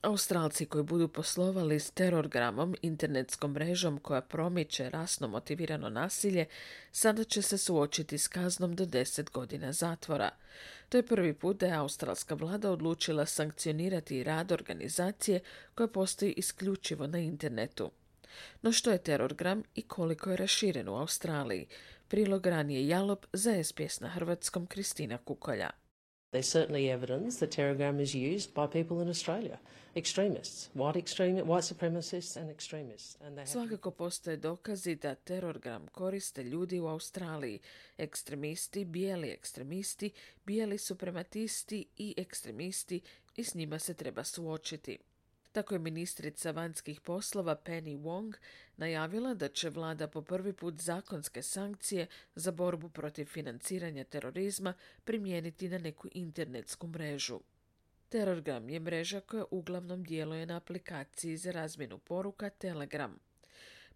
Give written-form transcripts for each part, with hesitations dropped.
Australci koji budu poslovali s Terrorgramom, internetskom mrežom koja promiče rasno motivirano nasilje, sada će se suočiti s kaznom do 10 godina zatvora. To je prvi put da je australska vlada odlučila sankcionirati rad organizacije koja postoji isključivo na internetu. No što je Terrorgram i koliko je raširen u Australiji? Prilog ranije Jalop za SBS na hrvatskom Kristina Kukolja. There's certainly evidence that Telegram is used by people in Australia. Extremists, white supremacists and extremists. Svakako postoje dokazi da Terrorgram koriste ljudi u Australiji, ekstremisti, bijeli suprematisti i ekstremisti, i s njima se treba suočiti. Tako je ministrica vanjskih poslova Penny Wong najavila da će vlada po prvi put zakonske sankcije za borbu protiv financiranja terorizma primijeniti na neku internetsku mrežu. Terrorgram je mreža koja uglavnom djeluje na aplikaciji za razmjenu poruka Telegram.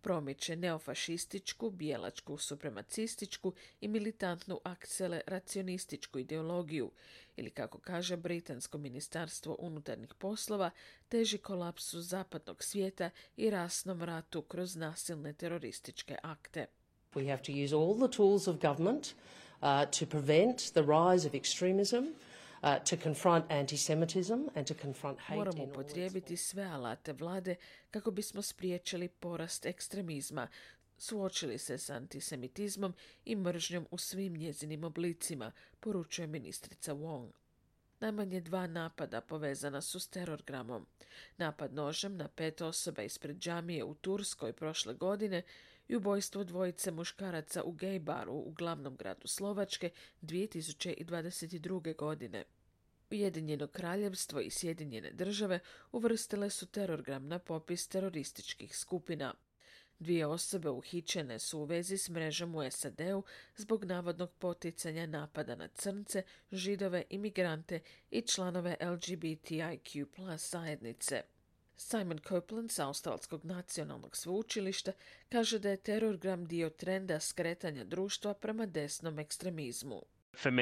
Promiče neofašističku, bijelačku, supremacističku i militantnu akceleracionističku ideologiju, ili kako kaže Britansko ministarstvo unutarnjih poslova, teži kolapsu zapadnog svijeta i rasnom ratu kroz nasilne terorističke akte. We have to use all the tools of government to prevent the rise of extremism, to confront antisemitism and to confront hate. Moramo upotrijebiti sve alate vlade kako bismo spriječili porast ekstremizma, suočili se s antisemitizmom i mržnjom u svim njezinim oblicima, poručuje ministrica Wong. Najmanje 2 napada povezana su s Terrorgramom. Napad nožem na 5 osoba ispred džamije u Turskoj prošle godine i ubojstvo 2 muškaraca u gej baru u glavnom gradu Slovačke 2022. godine. Ujedinjeno kraljevstvo i Sjedinjene države uvrstile su Terrorgram na popis terorističkih skupina. 2 osobe uhićene su u vezi s mrežom u SAD-u zbog navodnog poticanja napada na crnce, židove, imigrante i članove LGBTIQ+ zajednice. Simon Copeland s Australskog nacionalnog sveučilišta kaže da je Terrorgram dio trenda skretanja društva prema desnom ekstremizmu. For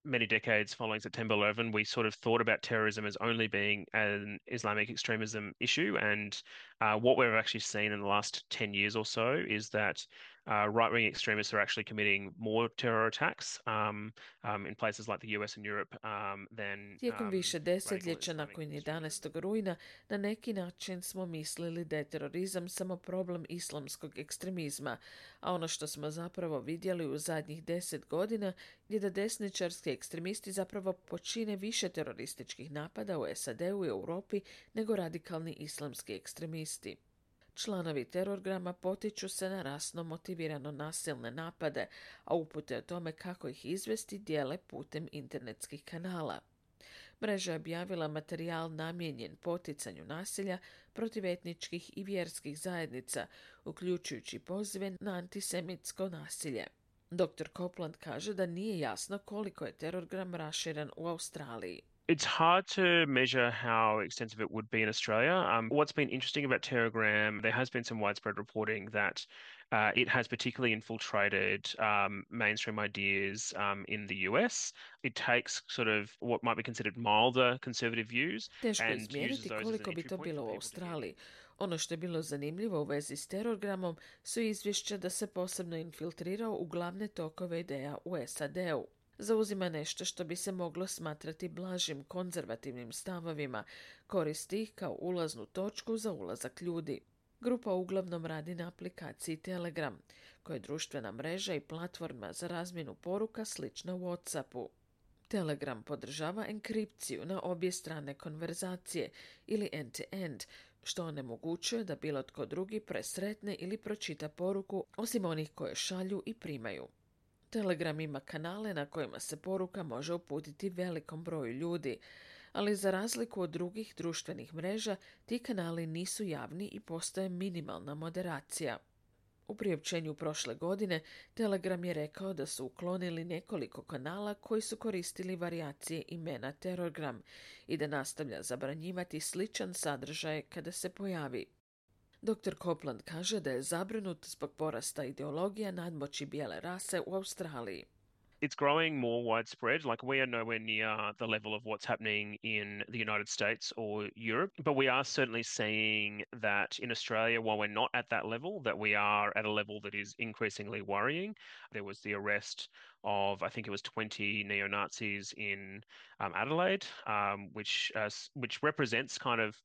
many decades following September 11, we sort of thought about terrorism as only being an Islamic extremism issue, and what we've actually seen in the last 10 years or so is that right-wing extremists are actually committing more terror attacks in places like the US and Europe than Tijekom više desetljeća nakon 11. rujna na neki način smo mislili da je terorizam samo problem islamskog ekstremizma, a ono što smo zapravo vidjeli u zadnjih 10 godina je da desničarski ekstremisti zapravo počine više terorističkih napada u SAD-u i Europi nego radikalni islamski ekstremisti. Članovi Terrorgrama potiču se na rasno motivirano nasilne napade, a upute o tome kako ih izvesti dijele putem internetskih kanala. Mreža je objavila materijal namijenjen poticanju nasilja protiv etničkih i vjerskih zajednica, uključujući pozive na antisemitsko nasilje. Dr. Copeland kaže da nije jasno koliko je Terrorgram raširen u Australiji. It's hard to measure how extensive it would be in Australia. What's been interesting about Telegram, there has been some widespread reporting that it has particularly infiltrated mainstream ideas in the US. It takes sort of what might be considered milder conservative views. Teško je izmjeriti koliko bi to bilo u Australiji. Ono što je bilo zanimljivo u vezi s Terrorgramom su izvješća da se posebno infiltrirao u glavne tokove ideja u SAD-u. Zauzima nešto što bi se moglo smatrati blažim konzervativnim stavovima, koristi ih kao ulaznu točku za ulazak ljudi. Grupa uglavnom radi na aplikaciji Telegram, koja je društvena mreža i platforma za razmjenu poruka slična WhatsAppu. Telegram podržava enkripciju na obje strane konverzacije ili end-to-end, što onemogućuje da bilo tko drugi presretne ili pročita poruku osim onih koje šalju i primaju. Telegram ima kanale na kojima se poruka može uputiti velikom broju ljudi, ali za razliku od drugih društvenih mreža, ti kanali nisu javni i postoje minimalna moderacija. U priopćenju prošle godine, Telegram je rekao da su uklonili nekoliko kanala koji su koristili varijacije imena Terrorgram i da nastavlja zabranjivati sličan sadržaj kada se pojavi. Dr. Copeland kaže da je zabrinut zbog porasta ideologija nadmoći bijele rase u Australiji. It's growing more widespread. Like we are nowhere near the level of what's happening in the United States or Europe, but we are certainly seeing that in Australia, while we're not at that level, that we are at a level that is increasingly worrying. There was the arrest of, I think it was 20 neo-Nazis in Adelaide, which represents kind of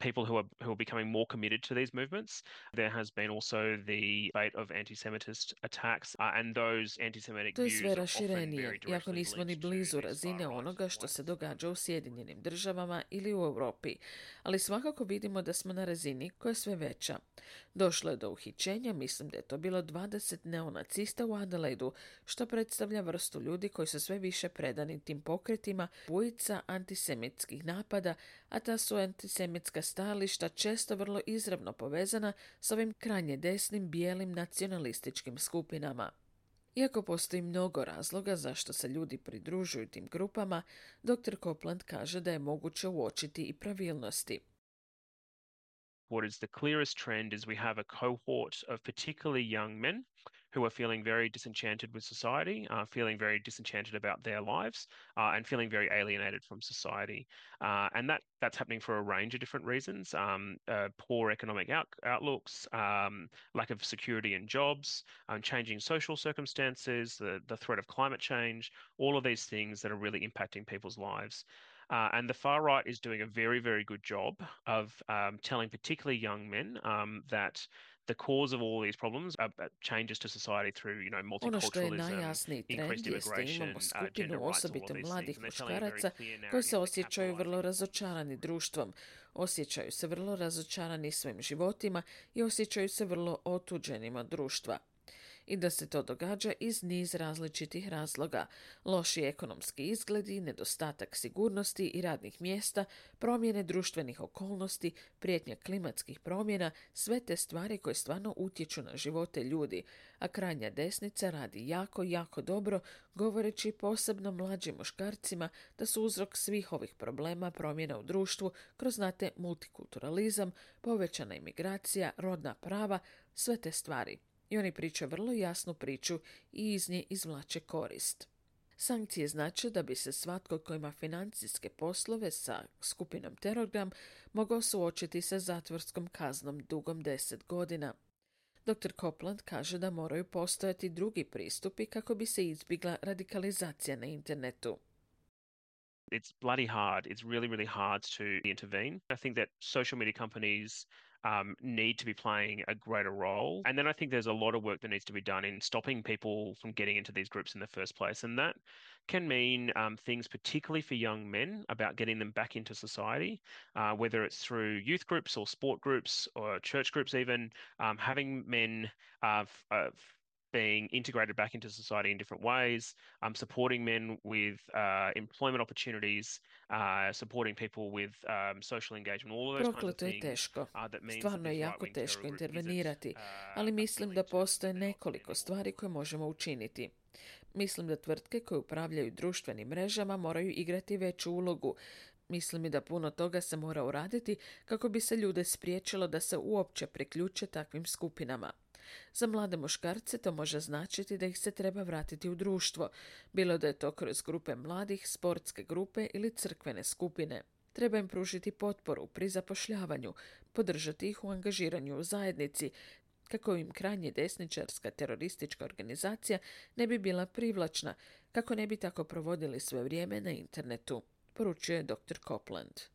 people who are becoming more committed to these movements. There has been also the debate of anti-Semitist attacks, and those anti-Semitic To je sve views are often raširenije, very iako directly nismo ni linked to blizu these razine far-right onoga što se white događa u Sjedinjenim državama ili u Europi, ali svakako vidimo da smo na razini koja je sve veća. Došlo je do uhićenja, mislim da je to bilo 20 neonacista u Adelaidu, što predstavlja vrstu ljudi koji su sve više predani tim pokretima, bujica antisemitskih napada, a ta su antisemitska stajališta često vrlo izravno povezana s ovim krajnje desnim bijelim nacionalističkim skupinama. Iako postoji mnogo razloga zašto se ljudi pridružuju tim grupama, dr. Copeland kaže da je moguće uočiti i pravilnosti. What is the clearest trend is we have a cohort of particularly young men who are feeling very disenchanted with society, feeling very disenchanted about their lives, and feeling very alienated from society. And that's happening for a range of different reasons. Poor economic outlooks, lack of security in jobs, changing social circumstances, the threat of climate change, all of these things that are really impacting people's lives. And the far right is doing a very, very good job of telling particularly young men that the cause of all these problems are changes to society through, Ono što je multiculturalism, najjasniji trend increased jeste da immigration, imamo gender skupinu rights, all of osobito these mladih things. And they're telling a very muškaraca clear koji narrative se that osjećaju vrlo capitalizing razočarani društvom, osjećaju se vrlo razočarani svojim životima i osjećaju se vrlo otuđenima od društva. I da se to događa iz niz različitih razloga. Loši ekonomski izgledi, nedostatak sigurnosti i radnih mjesta, promjene društvenih okolnosti, prijetnja klimatskih promjena, sve te stvari koje stvarno utječu na živote ljudi, a krajnja desnica radi jako, jako dobro, govoreći posebno mlađim muškarcima da su uzrok svih ovih problema promjena u društvu kroz, znate, multikulturalizam, povećana imigracija, rodna prava, sve te stvari. I oni pričaju vrlo jasnu priču i iz nje izvlače korist. Sankcije znače da bi se svatko tko ima financijske poslove sa skupinom Telegram mogao suočiti sa zatvorskom kaznom dugom 10 godina. Dr. Copeland kaže da moraju postojati drugi pristupi kako bi se izbjegla radikalizacija na internetu. It's bloody hard. It's really, really hard to intervene. I think that social media companies need to be playing a greater role. And then I think there's a lot of work that needs to be done in stopping people from getting into these groups in the first place. And that can mean things particularly for young men about getting them back into society, whether it's through youth groups or sport groups or church groups even, having men being integrated back into society in different ways, supporting men with employment opportunities, supporting people with social engagement, all of those kinds of Prokleto je things. teško. That means Stvarno je jako teško intervenirati, ali mislim da postoje nekoliko stvari koje možemo učiniti. Mislim da tvrtke koje upravljaju društvenim mrežama moraju igrati veću ulogu. Mislim i da puno toga se mora uraditi kako bi se ljude spriječilo da se uopće priključe takvim skupinama. Za mlade muškarce to može značiti da ih se treba vratiti u društvo, bilo da je to kroz grupe mladih, sportske grupe ili crkvene skupine. Treba im pružiti potporu pri zapošljavanju, podržati ih u angažiranju u zajednici, kako im krajnje desničarska teroristička organizacija ne bi bila privlačna, kako ne bi tako provodili svoje vrijeme na internetu, poručuje dr. Copeland.